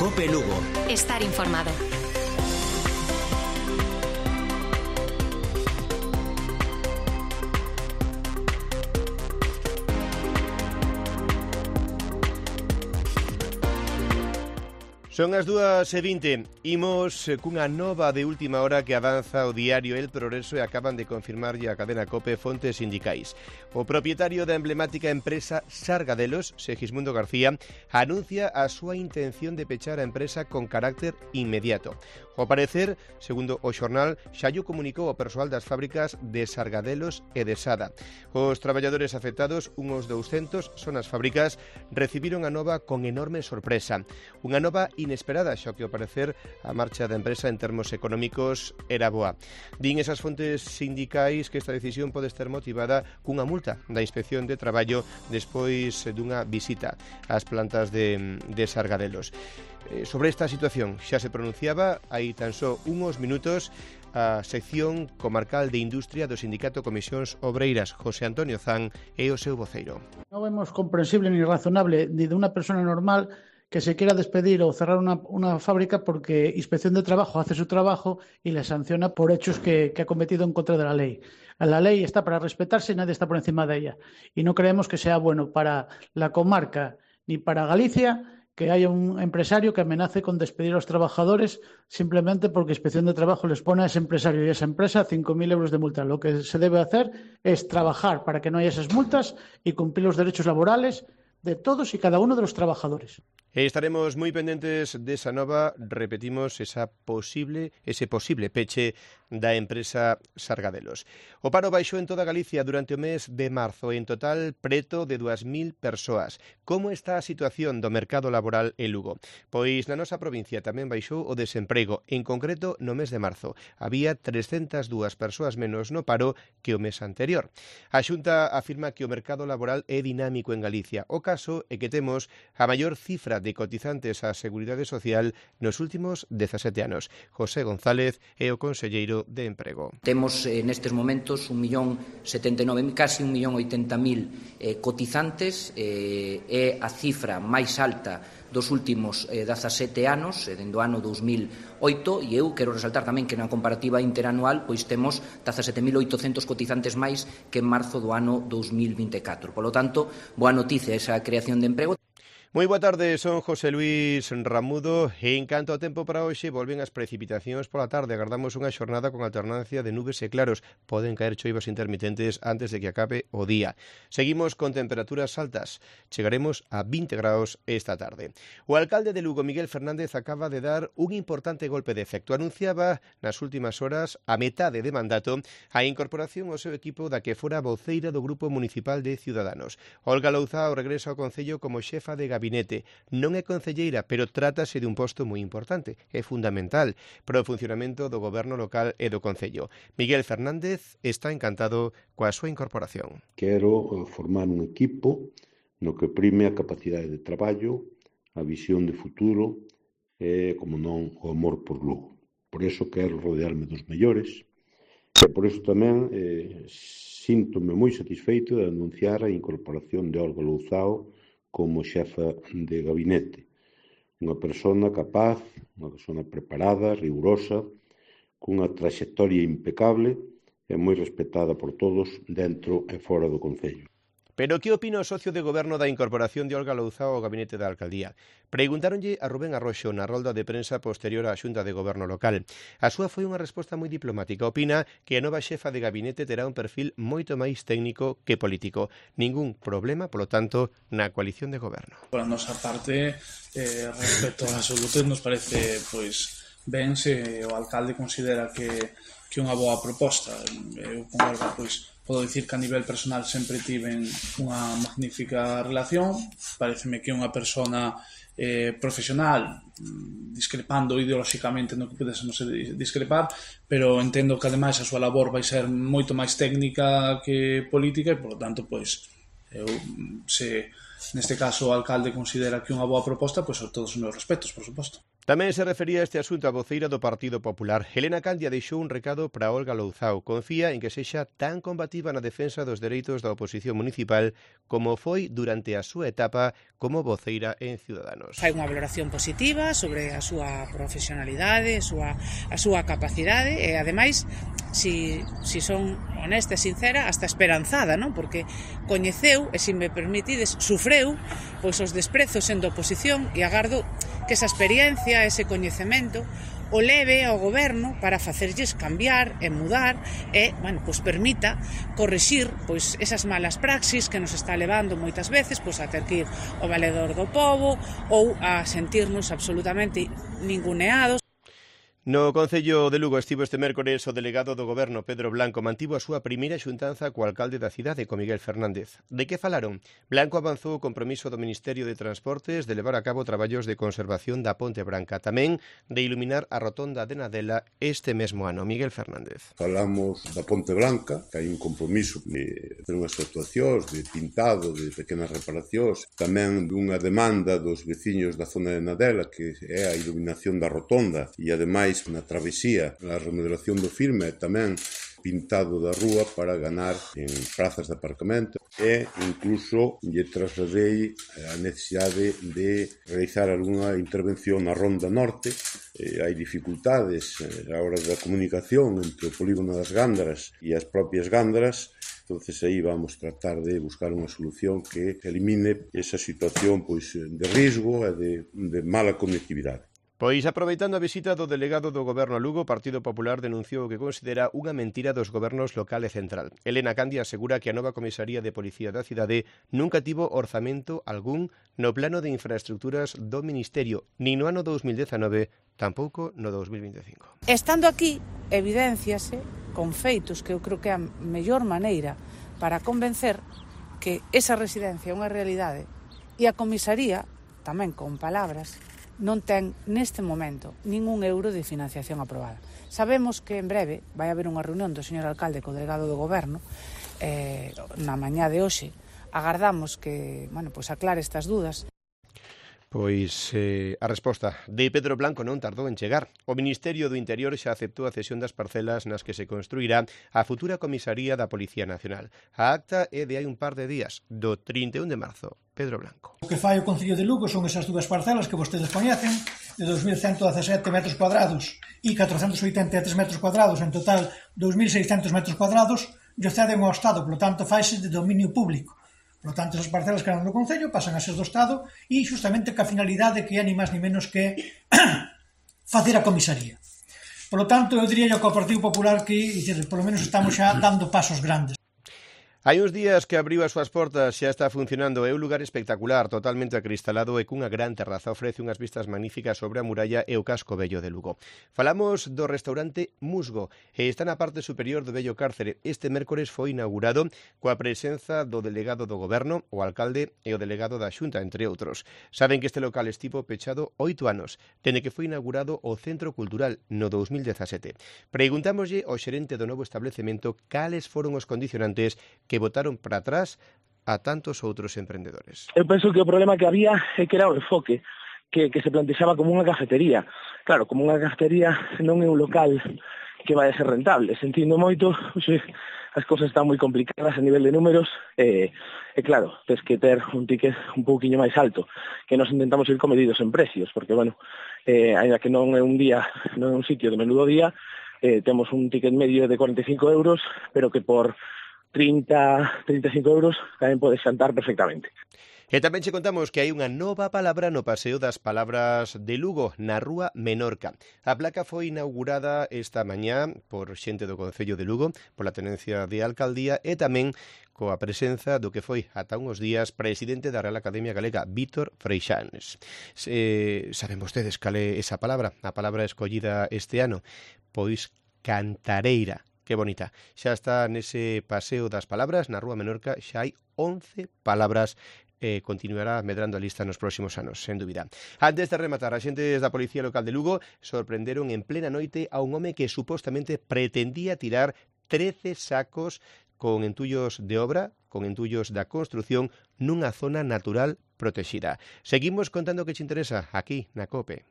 COPE Lugo. Estar informado. Son as 2:20. Imos cunha nova de última hora que avanza o diario El Progreso e acaban de confirmarlle a cadena COPE fontes sindicais. O propietario da emblemática empresa Sargadelos, Segismundo García, anuncia a súa intención de pechar a empresa con carácter inmediato. Ao parecer, segundo o xornal, xa llo comunicou ao persoal das fábricas de Sargadelos e de Sada. Os traballadores afectados, uns 200, son as fábricas, recibiron a nova con enorme sorpresa. Unha nova inesperada, xa que ao parecer a marcha da empresa en termos económicos era boa. Din esas fontes sindicais que esta decisión pode estar motivada cunha multa da Inspección de Traballo despois dunha visita ás plantas de Sargadelos. Sobre esta situación xa se pronunciaba hai tan só uns minutos a sección comarcal de Industria do Sindicato Comisións Obreiras, José Antonio Zan, e o seu voceiro. Non vemos comprensible ni razonable ni de unha persona normal que se quiera despedir o cerrar una fábrica porque Inspección de Trabajo hace su trabajo y le sanciona por hechos que ha cometido en contra de la ley. La ley está para respetarse y nadie está por encima de ella. Y no creemos que sea bueno para la comarca ni para Galicia que haya un empresario que amenace con despedir a los trabajadores simplemente porque Inspección de Trabajo les pone a ese empresario y a esa empresa 5.000 euros de multa. Lo que se debe hacer es trabajar para que no haya esas multas y cumplir los derechos laborales de todos y cada uno de los trabajadores. Estaremos moi pendentes desa nova, repetimos, ese posible peche da empresa Sargadelos. O paro baixou en toda Galicia durante o mes de marzo, en total preto de 2.000 persoas. Como está a situación do mercado laboral en Lugo? Pois na nosa provincia tamén baixou o desemprego, en concreto no mes de marzo. Había 302 persoas menos no paro que o mes anterior. A Xunta afirma que o mercado laboral é dinámico en Galicia. O caso é que temos a maior cifra de cotizantes á Seguridade Social nos últimos 17 anos. José González é o conselleiro de Emprego. Temos nestes momentos 1.079.000, casi 1.080.000 cotizantes, é a cifra máis alta dos últimos 17 anos, dende o ano 2008, e eu quero resaltar tamén que na comparativa interanual pois temos 17.800 cotizantes máis que en marzo do ano 2024. Polo tanto, boa noticia esa creación de emprego. Moi boa tarde, son José Luis Ramudo e en canto ao tempo para hoxe volven as precipitacións pola tarde. Agardamos unha xornada con alternancia de nubes e claros. Poden caer choivas intermitentes antes de que acabe o día. Seguimos con temperaturas altas. Chegaremos a 20 graus esta tarde. O alcalde de Lugo, Miguel Fernández, acaba de dar un importante golpe de efecto. Anunciaba nas últimas horas, a metade de mandato, a incorporación ao seu equipo da que fora voceira do Grupo Municipal de Ciudadanos. Olga Louzao regresa ao Concello como xefa de gabinete. Non é concelleira, pero trátase de un posto moi importante. É fundamental para o funcionamento do goberno local e do Concello. Miguel Fernández está encantado coa súa incorporación. Quero formar un equipo no que prime a capacidade de traballo, a visión de futuro e, como non, o amor por Lugo. Por iso quero rodearme dos mellores e por iso tamén síntome moi satisfeito de anunciar a incorporación de Olga Louzao como xefa de gabinete. Unha persona capaz, unha persona preparada, rigurosa, cunha traxectoria impecable e moi respetada por todos dentro e fora do Concello. Pero que opina o socio de goberno da incorporación de Olga Louzao ao gabinete da alcaldía? Preguntáronlle a Rubén Arroxo na rolda de prensa posterior á xunta de goberno local. A súa foi unha resposta moi diplomática. Opina que a nova xefa de gabinete terá un perfil moito máis técnico que político. Ningún problema, polo tanto, na coalición de goberno. Por a nosa parte, respecto absoluto, nos parece ben se o alcalde considera que unha boa proposta. Eu con Olga, podo dicir que a nivel personal sempre tiven unha magnífica relación. Pareceme que é unha persona profesional, discrepando ideolóxicamente no que pudésemos discrepar, pero entendo que ademais a súa labor vai ser moito máis técnica que política e, polo tanto, eu, se neste caso o alcalde considera que é unha boa proposta, todos os meus respetos, por suposto. Tamén se refería a este asunto a voceira do Partido Popular. Helena Candia deixou un recado para Olga Louzao. Confía en que sexa tan combativa na defensa dos dereitos da oposición municipal como foi durante a súa etapa como voceira en Ciudadanos. Fai unha valoración positiva sobre a súa profesionalidade, a súa capacidade e, ademais, si son honesta e sincera, hasta esperanzada, non? Porque coñeceu, e se me permitides, sufreu pois os desprezos sendo oposición e agardo que esa experiencia, ese coñecemento, o leve ao goberno para facerlles cambiar e mudar e, pois permita corrixir pois esas malas praxis que nos está levando moitas veces pois a ter que ir ao valedor do pobo ou a sentirnos absolutamente ninguneados. No Concello de Lugo estivo este mércores o delegado do Goberno, Pedro Blanco, mantivo a súa primeira xuntanza co alcalde da cidade, co Miguel Fernández. De que falaron? Blanco avanzou o compromiso do Ministerio de Transportes de levar a cabo traballos de conservación da Ponte Branca, tamén de iluminar a rotonda de Nadela este mesmo ano. Miguel Fernández. Falamos da Ponte Branca, que hai un compromiso de hacer unhas actuacións, de pintado, de pequenas reparacións, tamén dunha demanda dos veciños da zona de Nadela, que é a iluminación da rotonda e, ademais, na travesía, a remodelación do firme, tamén pintado da rúa para ganar en prazas de aparcamento e incluso lle trasladei a necesidade de realizar algunha intervención na Ronda Norte. Hai dificultades a hora da comunicación entre o polígono das Gándaras e as propias Gándaras. Entonces aí vamos tratar de buscar unha solución que elimine esa situación pois de risco e de mala conectividade. Pois, aproveitando a visita do delegado do Goberno a Lugo, o Partido Popular denunciou o que considera unha mentira dos gobernos local e central. Helena Candia asegura que a nova comisaría de policía da cidade nunca tivo orzamento algún no plano de infraestructuras do Ministerio, nin no ano 2019, tampouco no 2025. Estando aquí, evidenciase con feitos que eu creo que é a mellor maneira para convencer que esa residencia é unha realidade e a comisaría, tamén con palabras, non ten neste momento ningún euro de financiación aprobada. Sabemos que en breve vai haber unha reunión do señor alcalde co delegado do Goberno na mañá de hoxe. Agardamos que, pois aclare estas dúdas. Pois a resposta de Pedro Blanco non tardou en chegar. O Ministerio do Interior xa aceptou a cesión das parcelas nas que se construirá a futura comisaría da Policía Nacional. A acta é de hai un par de días, do 31 de marzo. Pedro Blanco. O que fai o Concello de Lugo son esas dúas parcelas que vostedes coñecen, de 2.117 metros cuadrados e 483 metros cuadrados, en total 2.600 metros cuadrados, e ceden ao Estado, polo tanto faise de dominio público. Por lo tanto, esas parcelas que eran do Concello pasan a ser do Estado e justamente ca finalidade que é ni máis ni menos que facer a comisaría. Por lo tanto, eu diría que ao Partido Popular que, polo menos estamos xa dando pasos grandes. Hai uns días que abriu as súas portas, xa está funcionando, é un lugar espectacular, totalmente acristalado e cunha gran terraza, ofrece unhas vistas magníficas sobre a muralla e o casco vello de Lugo. Falamos do restaurante Musgo e está na parte superior do vello cárcere. Este mércores foi inaugurado coa presenza do delegado do Goberno, o alcalde e o delegado da Xunta, entre outros. Saben que este local estivo pechado 8 anos, dende que foi inaugurado o Centro Cultural no 2017. Preguntámoslle ao xerente do novo establecemento cales foron os condicionantes que botaron para atrás a tantos outros emprendedores. Eu penso que o problema que había é que era o enfoque, que se plantexaba como unha cafetería. Claro, como unha cafetería non é un local que vai a ser rentable. Sentindo moito, as cousas están moi complicadas a nivel de números e claro, tens que ter un ticket un pouquiño máis alto, que nos intentamos ir comedidos en precios, porque, ainda que non é un día, non é un sitio de menudo día, temos un ticket medio de 45 euros, pero que por 30-35 euros tamén podes xantar perfectamente. E tamén che contamos que hai unha nova palabra no Paseo das Palabras de Lugo, na Rúa Menorca. A placa foi inaugurada esta mañá por xente do Concello de Lugo, pola tenencia de alcaldía e tamén coa presenza do que foi ata uns días presidente da Real Academia Galega, Vítor Freixanes. Saben vostedes cal é esa palabra? A palabra escollida este ano? Pois cantareira. Que bonita. Xa está nese Paseo das Palabras, na Rúa Menorca, xa hai 11 palabras continuará medrando a lista nos próximos anos, sen dúbida. Antes de rematar, a xentes da Policía Local de Lugo sorprenderon en plena noite a un home que supostamente pretendía tirar 13 sacos con entullos de obra, con entullos da construción, nunha zona natural protexida. Seguimos contando que che interesa aquí na COPE.